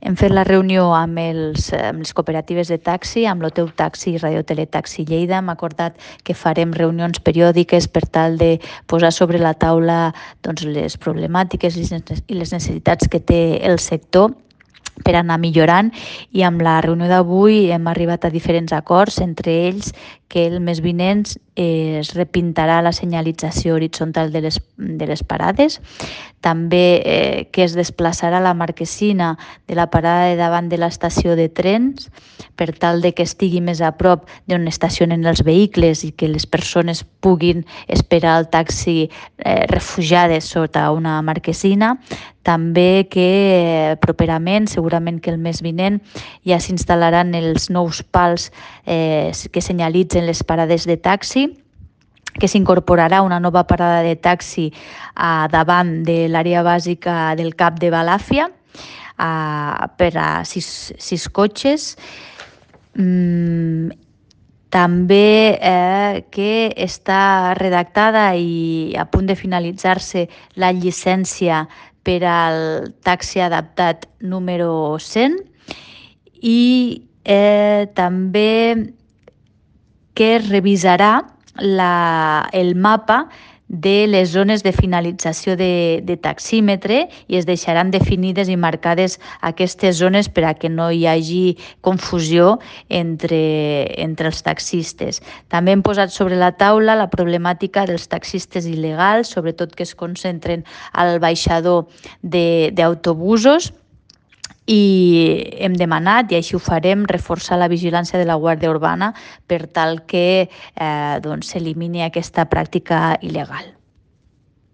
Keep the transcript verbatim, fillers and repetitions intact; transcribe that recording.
Hem fet la reunió amb, els, amb les cooperatives de taxi, amb l'Oteu Taxi i Radio Teletaxi Lleida. Hem acordat que farem reunions periòdiques per tal de posar sobre la taula doncs, les problemàtiques i les necessitats que té el sector per anar millorant, i amb la reunió d'avui hem arribat a diferents acords, entre ells que el mes vinent es repintarà la senyalització horitzontal de les, de les parades, també eh, que es desplaçarà la marquesina de la parada de davant de l'estació de trens per tal de que estigui més a prop d'on estacionen els vehicles i que les persones puguin esperar el taxi eh, refugiades sota una marquesina. També que eh, properament, segurament que el mes vinent, ja s'instal·laran els nous pals eh, que senyalitzen les parades de taxi, que s'incorporarà una nova parada de taxi a davant de l'àrea bàsica del Cap de Balàfia a, per a sis, sis cotxes. Mm, també eh, que està redactada i a punt de finalitzar-se la llicència per al taxi adaptat número cent, i eh, també que es revisarà la, el mapa de les zones de finalització de, de taxímetre i es deixaran definides i marcades aquestes zones per a que no hi hagi confusió entre, entre els taxistes. També hem posat sobre la taula la problemàtica dels taxistes il·legals, sobretot que es concentren al baixador d'autobusos, i hem demanat, i així ho farem, reforçar la vigilància de la Guàrdia Urbana per tal que eh, doncs, s'elimini aquesta pràctica il·legal.